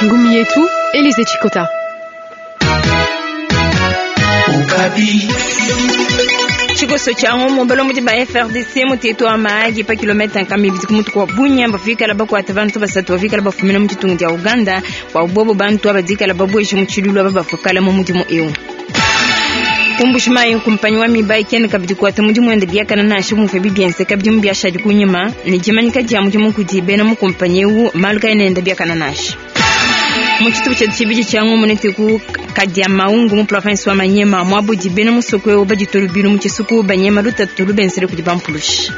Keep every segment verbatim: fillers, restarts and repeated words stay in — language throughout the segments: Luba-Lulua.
Ngumi yetu Elise Chikota. Tshikoso tshia ngumu balombodi ba F R D C mutetu wa Mahagi pa kilomita nkama ibidi ku mutu kwa Bunia bafikala bakwata bantu basatu bafikala bafumina mu ditunga dia Uganda bua bobo bantu abadikala babweje mu tshilulu aba bafukala mu mudimu eu. Ku Mbuji-Mayi kumpanyi wa Mibayi kene kabidi kuata mudimu wende biakana nansha muvua bibienzeka bidimu biashadi kunyima ne dimanyika dia mudimu kudi bena mu kumpanyi eu malu kaena biakana nansha. Mu tshitupa tshia tshibidi tshia ngumu netuku kadia maungu mu province wa Manyema muabudi bena musoko eu baditolu bilu mu tshisuku banyema lutatu lubenzele kudi bampulushi.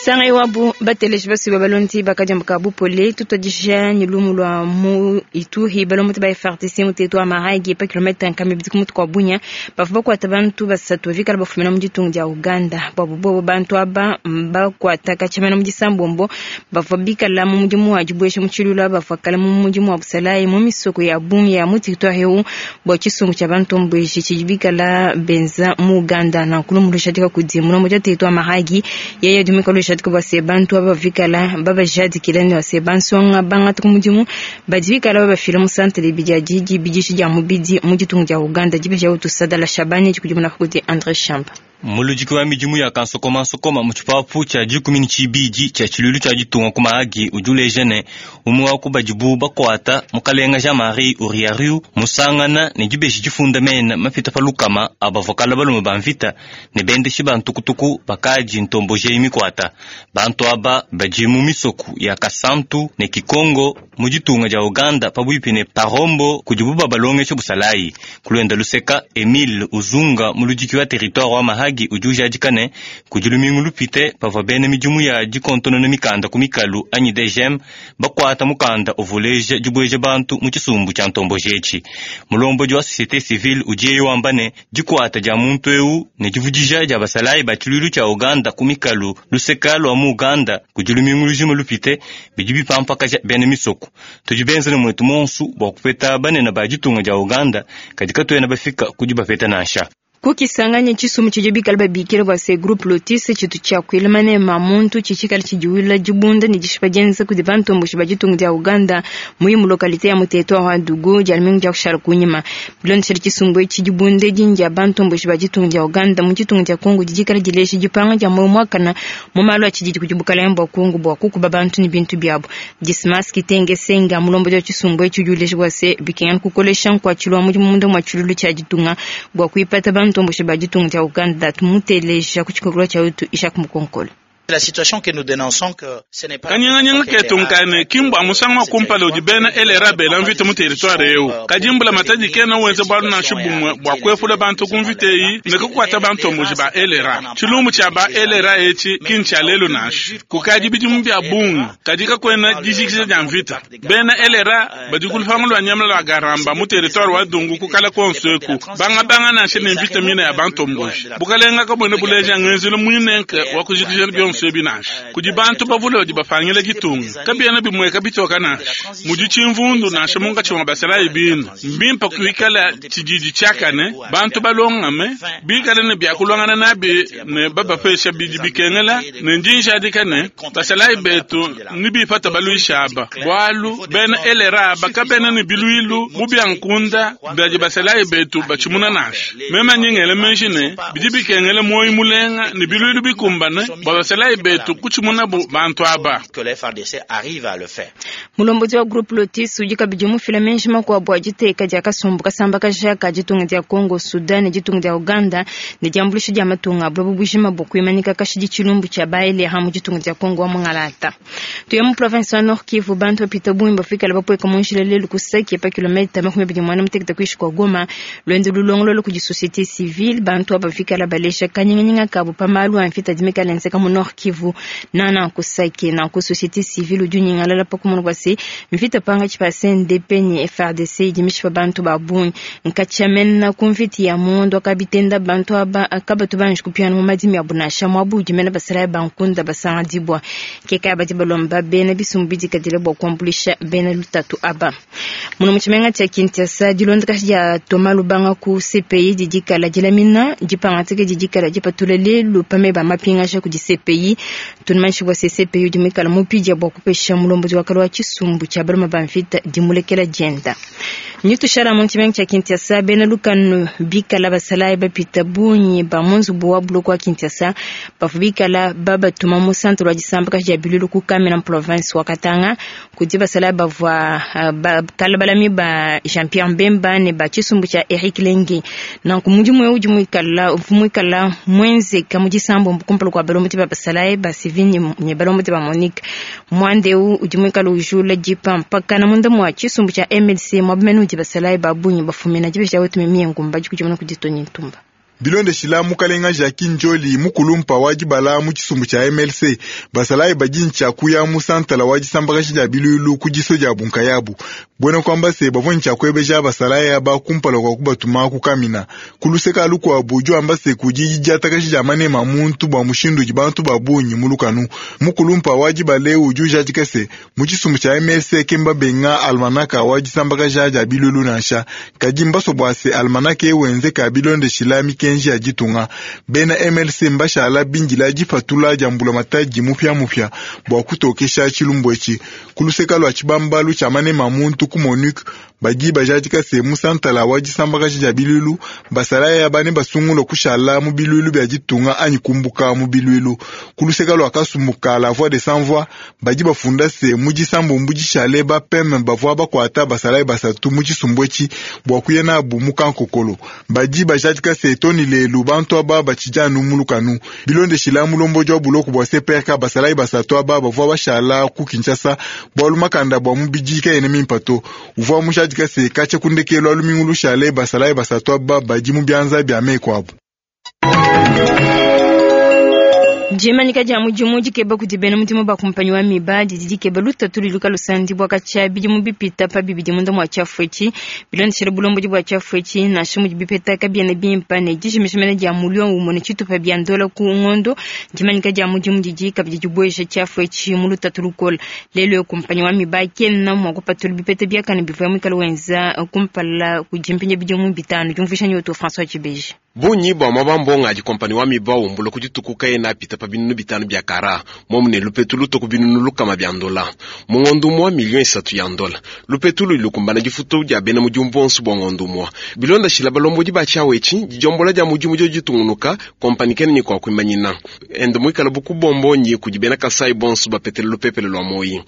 Sanga wabu bateleji basuba balondi bakadiambuka bupole tutwadisha ni lumu lwa mu Ituri balombodi ba F R D C mutetu wa Mahagi pa kilomita nkama ibidi ku mutu kwa Bunia bavua bakwata bantu basatu bavikala bafumina mu ditunga dia Uganda bwabo bobo bantu aba bakwata kachamana mu disambombo bavua bikala mu mudimu wa dibwesha mu tshilulu bavua kala mu mudimu wa busalayi mu misoko ya bungi ya mu territoire eu bua tshisumbu tshia bantu mbweshi tshidi bikala benza mu Uganda na nkulu lushadika kudi mulombodi wa territoire Mahagi yeye dumika lushadika base bantu aba bavikala babajadikila ne base bansonga bangata ku mudimu badi bikala babafila mu centre ibidi ya didi bidishi dia mubidi mu ditunga dia Uganda dibeja utusadala Shabani dikudimuna kudi André Shamba. Muludiki wa midimu ya kansokomansokoma mu tshipapu tshia dikumi ne tshibidi tshia tshilulu tshia ditunga ku Mahagi udi uleja ne umwe wa ku badibu bakwata mukalenga Jean-Marie Uriariu musangana ne dibeji difunda mena mapita pa lukama abavua balume ba mvita ne bendeshi ba ntukutuku bakadi ntombojeyi mikwata bantu aba badi mu misoku ya Kasantu ne Kikongo mu ditunga dia Uganda pabuipi ne Parombo kudibu babalongesha busalayi kulwenda luseka Emile Uzunga muludiki wa territoire wa Mahagi udi ujadika ne kudi lumingu lupite pavua bena midimu ya dikontonona mikanda ku mikalu anyi D G M bakwata mukanda uvuleja dibweja bantu mu tshisumbu tshia ntombojetshi. Mulombodi wa société civile udiye wamba ne dikwata dia muntu eu ne divudija dia basalayi ba tshilulu tshia Uganda ku mikalu luseka lwa mu Uganda kudi lumingu lujima lupite bidi bipampakaja bena misoko. Tudi benza ne mwetu monsu bua kupeta banene ba ditunga dia Uganda kadi katuena bafika kudi bapeta nansha. Kukisanganya tshisumbu tshidi bikala babikila bua se groupe Lotis tshitu tshia kuilama ne mamuntu tshitshikala tshidiwila dibunda ne dishipa dienza kudi bantomboshi ba ditunga dia Uganda muyi mu localité ya mu territoire wa Djugu dia lumingu dia kushala kunyima. Bilondeshela tshisumbu etshi dibunda edi ndia bantomboshi ba ditunga dia Uganda mu ditunga dia Kongo didikala dilesha dipanga dia moyo muakana mu malu a tshididi kudi bukalenga bua Kongo bua kukuba bantu ne bintu biabu. Dismas Kitenge Senga mulombodi wa tshisumbu etshi udi ulesha bua se bikengela kukolesha nkuatshilu wa mudimu munda mua tshilulu tshia ditunga bua kuipata bantomboshi ba ditunga dia Uganda. Tumuteleja ku tshikokolo tshia wetu Ishak Mukonkolo. La situation que nous dénonçons que ce n'est pas Kanyinganyinga ketu nkane kimbwa musangu wa kumpala udi bena L R A bela mvita mu territoire eu kadimbula matadi kena wenze bwalu nansha bumwe bua kuepula bantu ku mvita eyi ne kukwata bantomboji ba L R A. Tshilumbu tshia ba L R A etshi kini tshia lelu nansha kukadi bidimu bia bungi kadi kakwena dijikija dia mvita. Bena L R A badi ku lupangu lua nyama lua Garamba mu territoire wa Dungu kukala konso eku bangabanga nansha ne mvita mina ya bantomboji bukalenga kabwene buleja ngenzelu muinenke wa kujikija bionso ebi nansha kudi bantu bavule badi bapangila ditunga kabiena bimweka bitoka nansha mudi tshimvundu nansha munkatshi mua basalayi binu mbimpa kuikala tshididi tshiakane bantu balongame bikale ne byakulongana nabi ne babapesha bidi bikengela ne ndinjadika ne basalayi betu ni bipata baluisha aba bwalu bena L R A aba kabena ne biluilu mu byankunda badi basalayi betu batshimuna nansha mema nyingele menji ne bidi bikengela moyi mulenga ne biluilu bikumbane bua basalayi betu kutshimuna bu bantu aba. Que les F A R D C arrivent à le faire. Mulombodi wa groupe Lotis udi kabidi mufila menji makuabu a diteka dia kasumbu kasambakaja ka ditunga dia Congo, Sudan ne ditunga dia Uganda ne diambuluisha dia matunga a buloba bujima bua kuimanyika kashidi tshilumbu tshia ba L R A mu ditunga dia Congo wa mungalata. Tuya mu province wa Nord Kivu bantu bapita bungi bafikala bapweka mu njila lelu ku Sake pa kilomita makumi abidi muanda mutekete kuishi kwa Goma lwendo lulongolola kudi société civile bantu aba bafikala balesha kanyinganyinga kabu pa malu a mvita dimikala enzeka mu Nord. Nord Kivu nana kusake na ku société civile udi unyingalala pa kumona bua se mvita pankatshi pa C N D P ne F A R D C idi mishipa bantu ba bungi nkatshiamena ku mvita ya mondo akabitenda bantu aba kabatu banji kupiana mu madimi abu nansha muabu udi mena basalayi bankunda basanga dibwa keka badi balomba bena bisumbu bidikadile bua kuambulisha bena lutatu aba muno mu tshimenga tshia Kinshasa dilondakashi dia Thomas Lubanga ku C P I didikala dilamina dipangatike didikala dipatula lelu pame ba mapingasha kudi C P I tunumanshi bua C P I udi muikala mupidia bua kupesha mulombozi wa kale wa tshisumbu tshia baluma ba mvita dimulekela dienda nyutushala mu tshimenga tshia Kinshasa bena lukanu bikala basalayi bapita bungi ba mu nzubu wa buloko wa Kinshasa bavua bikala babatuma mu centre wa disambaka dia bilulu ku Kamina province wa Katanga kudi basalayi bavua bakala balami ba Jean-Pierre Mbemba ne ba tshisumbu tshia Eric Lenge nanku mudimu eu udi muikala muikala mwenzeka mu disambo kumpala kua balombodi ba basalayi ba civil ne balombodi ba Monique mwande eu udi muikala ujula dipa mpaka na munda mua tshisumbu tshia M L C mwabamene udi basalayi ba bungi bafumina dibesha wetu mimie ngumba dikudimuna kuditoni ntumba Bilondeshila mukalenga Jacques Njoli mukulumpa wa dibala mu tshisumbu tshia M L C basalayi badi ntshia mu santala wa disambakashi dia bilulu ku diso dia bunkayabu buena kwamba se bavua ntshia kuebeja basalayi aba kumpala kwa kubatuma ku Kamina kuluseka lukuabu udi wamba se kudi diatakashi dia manema muntu bua mushindu udi bantu ba bungi mu lukanu mukulumpa wa dibala udi ujadika se mu tshisumbu tshia M L C kemba benga almanaka wa disambakaja dia bilulu nansha kadi mbaso bua se almanaka ewenzeka bilondeshila mikenji ya ditunga bena M L C mbashala bindila dipatula dia mbula matadi mupya mupya bua kutokesha tshilumbu etshi kuluseka lua tshibambalu tshia manema muntu ku Monique badi bajadika se musantala wa disambakaji dia bilulu basalayi aba ne basungula kushala mu bilulu bia ditunga anyi kumbuka mu bilulu kuluseka lua kasumbuka la voix de sans voix badi bafunda se mu disambumbu dishale bapeme bavua bakuata basalayi basatu mu tshisumbu etshi bua kuya nabu mu kankokolo badi bajadika se toni lelu bantu aba batshidi mu lukanu bilondeshila mulombodi wa buloko bua C P R K basalayi basatu aba bavua bashala ku Kinshasa bualu makanda bua mubidi kayena mimpe to uvua mujadika se katshia ku ndekelu lumingu lushale basalayi basatu aba badi mu bianza bia meku abu. Jemanika dia mudimu dikeba kudi bena mudimu ba kumpanyi wa miba didi dikeba lutatu luluka lusandi bua katshia bidimu bipita pa bibidi munda mua tshiafu etshi bilondeshela bulombodi bua tshiafu etshi nansha mudi bipeta kabiena bimpe ne dijimijimena dia mulio umue ne tshitupa bia ndola ku ngondo. Jemanika dia mudimu didi kabidi dibuesha tshiafu etshi mu lutatu lukola lelo kumpanyi wa miba kena mua kupatula bipeta biakane bivua muikala wenza kumpala kudimpinja bidimu bitanu diumvuisha nyoto François Tshibeji. Bunyi bua mabambonga adi kompani wa miba umbula kuditukuka ena apita pa binunu bitanu bia kara momune lupetu luto ku binunu lukama bia ndola mungondo mwa milioni isatu ya ndola lupetu lulukumbana difuto dia bena mudimu bonso bua ngondo mwa bilonda shila balombodi ba tshiawu etshi dijombola dia mudimu dio ditungunuka kompani kene ni kwa kuimanyina ende muikala bukubombonyi kudi bena Kasai bonso bapetele lupepele lua moyi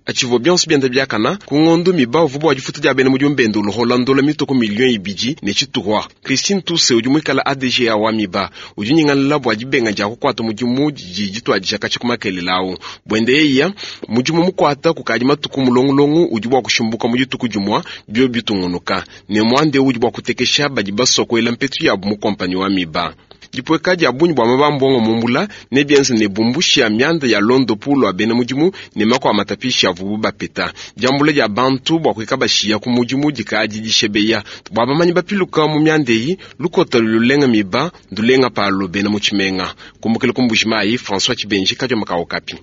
achivo bionso bienda biakana ku ngondo miba uvu bua difuto dia bena mudimu bende uluhola ndola mitoko milioni ibidi ne tshituhwa. Christine Tuse udi muikala A D G A wa miba udi nyingalala bua dibenga dia kukuata mudimu didi dituadija katshia ku makelela awu buende yeya mudimu mukuata kukadi matuku mulongolongo udi bua kushimbuka mu dituku dimua bio bitungunuka ne muande udi bua kutekesha badi basokoela mpetu yabu mu kompani wa miba. Dipweka dia bungi bua mabambongo mumbula ne bienze ne bumbushi ya mianda ya londo pulo abena mudimu ne makwa matapishi avubu bapeta diambula dia bantu bua kuika bashiya ku mudimu dikadi dishebeya bua bamanyi bapiluka mu mianda eyi lukota lulenga miba ndulenga palo bena mu tshimenga kumbukila ku Mbujimayi François Tshibenji kadioma ka Okapi.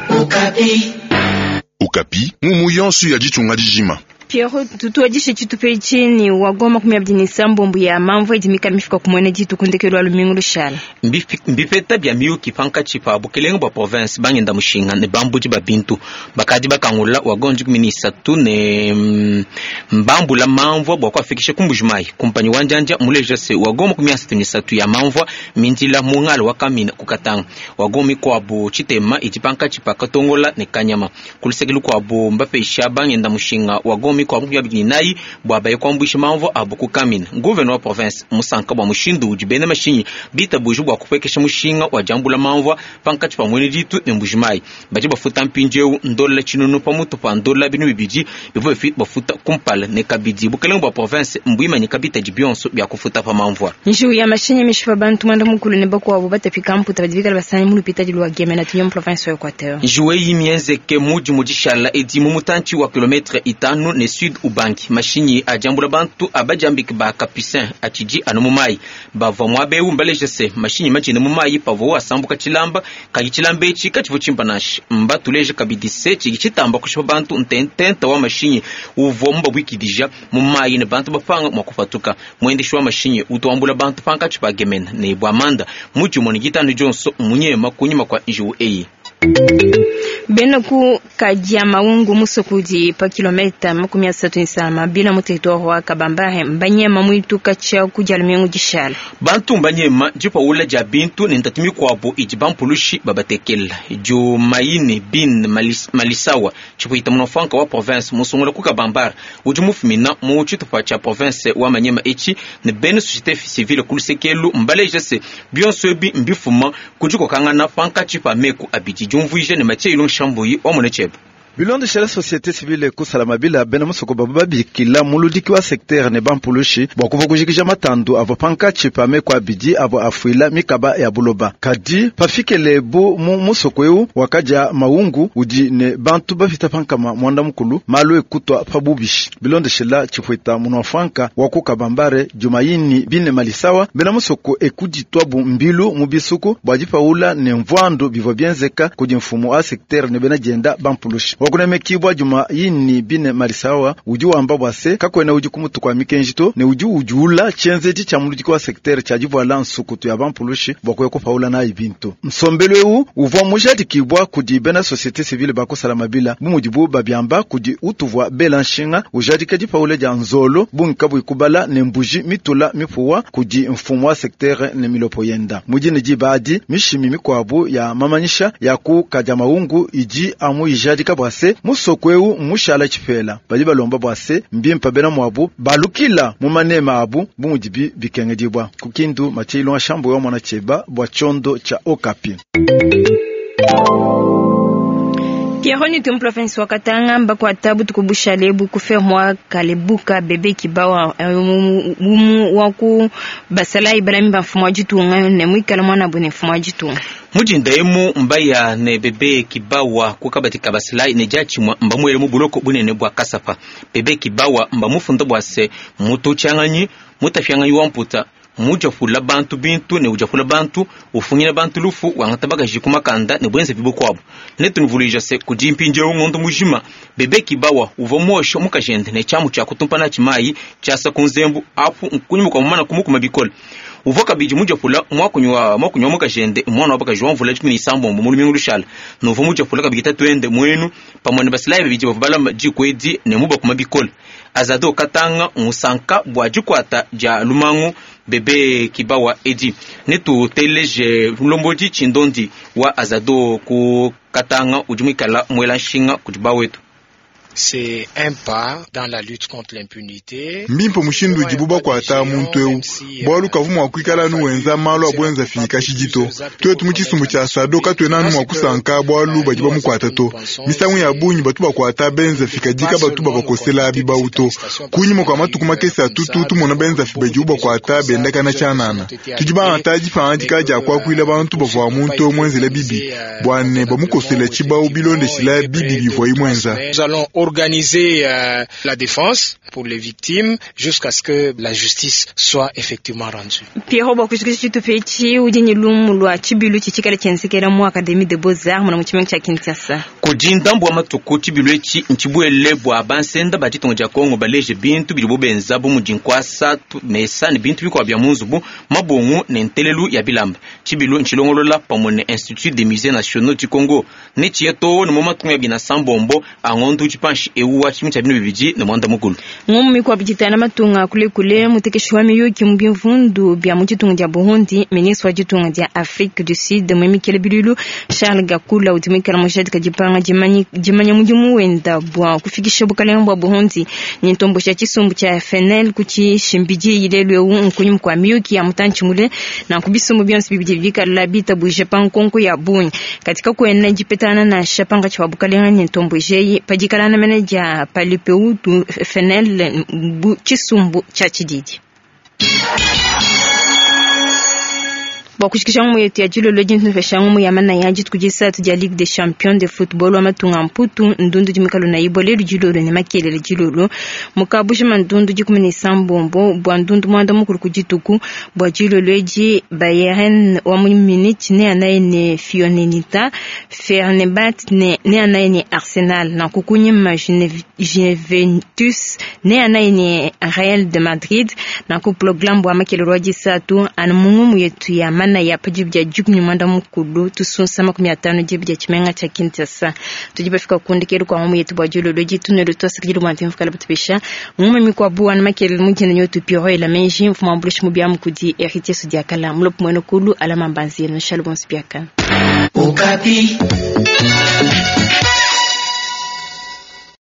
Okapi. Okapi mumu yonso ya ditunga dijima. Pierre tutuadishe tshitupa chini wagoma kumi abidi ne sambombo ya mamvu idi mikala mifika kumwene dituku ndekelu lumingu lushala mbipeta bia miyuki pankatshi pa bukelenge bua province bangenda mushinga ne bambudi ba bintu bakadi bakangula wagonji kumi ne isatu ne mbambula mamvua bua kuafikisha ku Mbujimayi kumpanyi wa njanja muleja se wagoma kumi asatu ne isatu ya mamvua mindila mungala wa Kamina kukatanga wagoma ikuabu tshitema idi pankatshi pa Katongola ne Kanyama kulusekelu kuabu mbapesha bangenda mushinga wagoma mikuabu makumi abidi ne inayi bua baye kuambuisha mamvua abu ku Kamina. Gouverneur wa province musanka bua mushindu udi bena mashinyi bitabuja bua kupuekesha mushinga wa diambula mamvua pankatshi pa Mwene Ditu ne Mbujimayi. Badi bafuta mpindieu ndola tshinunu pamutu pa ndola binunu bibidi bivua bafuta kumpala. Ne kabidi bukelenge bua province mbuimanyika bitadi bionso bia kufuta pa mamvua. Njiwu ya mashinyi mishipa bantu mwanda mukulu ne bakuabu batapika mputa badi bikala basanyi mu lupitadi lwa Gemena tunya province wa Equateur. Njiwu eyi mienzeke mudi mu dishala edi mu mutantshi wa kilometre itanu ne sud Ubangi. Mashinyi adiambula bantu abadiambike ba Capucin atshidi anu mu mayi. Bavua muaba eu mbaleje se mashinyi majine mu mayi pavua asambuka tshilamba kadi tshilamba etshi katshivua tshimpa nansha. Mbatuleje kabidi se tshidi tshitamba kushipa bantu ntententa wa mashinyi uvua mubabuikidija mu mayi ne bantu bapanga mua kupatuka. Mwendeshi wa mashinyi utuambula bantu pankatshi pa Gemena ne Bwamanda mudi ne gitano dionso munyema kunyima kwa njiwu eyi. Bena ku kadia maungu musokudi pa kilometa makumi asatu nsama bila mu territoire wa Kabambare mbanyema mwitu kacha kujala miengu dishala. Bantu mbanyema dipaula dia bintu ne ntatu mikuabu idi bampulushi babatekela. Diomaine bin malis, malisawa chipuita munofanka wa province musungula ku Kabambare udi mufumina mu tshitupa tshia province wa Manyema etshi ne bena société civile kulusekelu mbaleja se bionso ebi mbifuma kudikokangana pankatshi pa meku abidi diumvuija ne Mathieu Ilunga Shambuyi wa Munechebe. Bilondeshela société civile kusala mabila bena musoko babu babikila muludiki wa secteur ne bampulushi bua kuva kujikija matandu avua pankatshi pa meku abidi avua afuila mikaba ya buloba. Kadi pafikele bu mu musoko eu wakadia maungu udi ne bantu bafita pankama mwanda mukulu malu ekutwa pa bubishi. Bilondeshela chifuita munofanka wa ku Kabambare Jumaini bine malisawa bena musoko ekuditwa bu mbilu mu bisuku bua dipaula ne mvwandu bivua bienzeka kudi mfumu wa secteur ne bena dienda bampulushi. Wakunemekibwa Jumaini bine malisawa udi wamba bwa se kakwena udi kumutu kwa mikenji to ne udi udiula tshienzedi tshia muludiki wa secteur tshia divuala nsukutu ya bampulushi bua kuya kupaula nayi bintu. Nsombelu eu uvua mujadikibwa kudi bena société civile bakusala mabila bu mudibu babiamba kudi utuvua bela nshinga ujadika dipaula dia nzolo bungi kabuyi kubala ne mbuji mitula mipuwa kudi mfumu wa secteur ne milopo yenda. Mudine dibadi mishimi mikuabu ya mamanyisha ya ku kadia maungu idi amu ijadika bwa se musoko eu mushala tshipela badi balomba bwa se mbimpa bena mwabu balukila mu manema abu bu mudibi bikengedibwa. Kukindu Mathieu Ilunga Shambuyi wa mwana cheba bwa chondo cha Okapi. Pierre ni province wa Katanga mbakwata butuku bushale bukufe mwa kalebuka bebe kibawa umu waku basala ibalami ba mfumu wa ditunga ne mwikala mwana bune mfumu wa ditunga. Mujinda emu mbaya ne bebe kibawa kukabati kabasilai ne jachimwa mbamwele mu buloko bunene bwa Kasapa. Bebe kibawa mbamufunda bwa se mutu changanyi mutafyanganyi wa mputa mujafula bantu bintu ne ujafula bantu ufunyina bantu lufu wangata bagaji kumakanda ne bwenze bibukwabo. Netunuvulija se kujimpinje ngondo mujima bebe kibawa uva mwosho mukajende ne chamu cha kutumpana chimayi chasa kunzembu apu nkunyuma kwa mwana kumukuma bikole. Uva kabidi mujafula mwakunywa mwakunywa mukajende mwana wabakaji wamvula chikumi isambombo mu lumingu lushala. Nuva mujafula kabidi twende mwenu pamwe ne basilayi bibidi bavubala jikwedi ne mubakuma bikole. Azado Katanga musanka bwa jikwata ja lumangu bebe kibawa edi netu teleje mlombodi chindondi wa Azado ku Katanga udi mwikala mwela nshinga kudi bawetu. C'est un pas dans la lutte contre l'impunité. Mbimpe mushindu udibu bakwata muntu eu bwalu kavu mwa kuikala nu wenza malu abwenza fika shijito twetu mu tshisumbu tshia sado katwena nu mwa kusanka bwalu badi bamukwata to misangu ya bunyi batu bakwata benza fika dika batu babakosela bibauto kunyima kwa matuku makese atutu tumona benza fi badi bakwata bendakana tshanana tudi baanta dipanga dika kwakuila bantu bavua muntu eu mwenzele bibi bwane bamukosela tshibau bilondeshila bibi bivua imwenza. Nous allons organiser euh, la défense pour les victimes jusqu'à ce que la justice soit effectivement rendue. Pierre bwa kushikisha chitupechi udi ni lumu lwa chibilu chichikala chensekela mu Académie de Beaux-Arts muna muchimwe cha Kinshasa. Kujinda mbwa matuku chibilu echi nchibwele bwa bansenda ba ditongo dia Kongo baleje bintu bilibo benza bu mudinkwasa mesa ne bintu bikwa bya munzubu mabongo ne ntelelu ya bilamba. Chibilu nchilongolola pamwe ne Institut des Musées Nationaux du Congo ne chieto ne mu matungu ya bina sambombo angondu chipanshi tranche eu wa tshidimu tshia binu bibidi ne muanda mukulu. Ngumu mikuabu ditana matunga kulekule mutekeshi wa miyuki mu bimvundu bya mu ditunga dia Burundi, ministre wa ditunga dia Afrique du Sud mwemikele bilulu Charles Gakula udi muikala mujadika dipanga dimanya mudimu wenda bua kufikisha bukalenge bua Burundi ni ntombo sha tshisumbu tsha F N L kutshishimbidi ilelu eu nkunyima kua miyuki ya mutantshi mule na kubisumbu bionso bibidi bikala bitabuje pa nkonko ya bungi katika kuena dipetana na shapanga tsha bukalenge ni ntombo jeyi padikalana mene dia palipeu F N L bu tshisumbu tsha tshididi. Bua kushikisha ngumu yetu ya dilolo dintu ngumu ya mana ya dituku disatu dia Ligue des Champions de Football wa matunga mputu ndundu dimikalo na ibo lelu dilolo ne makelele dilolo mukabujima ndundu dikumi ne sambombo bua ndundu mwanda mukulu ku dituku bua dilolo edi Bayern wa mu Munich ne anaye ne Fiorentina Fenerbahce ne ne anaye ne Arsenal na kukunyima Juventus ne anaye ne Real de Madrid na ku programme bua makelele wa disatu anu mungumu yetu ya mana ya pajibu ya jukumi mwanda mukulu tusunsa makumi atano jibu ya chimenga cha Kinshasa tujiba fika kundi keru kwa ngumu yetu bwa julolo jitu nelo twasa kijilu mwanti mfukala butubisha ngumu mikwa buwa na makele mujina nyotu piro ela menji mfuma mbulishi mubya mukudi héritier sudiakala mulopu mweno kulu alama mbanzi no shalom spiaka. Okapi.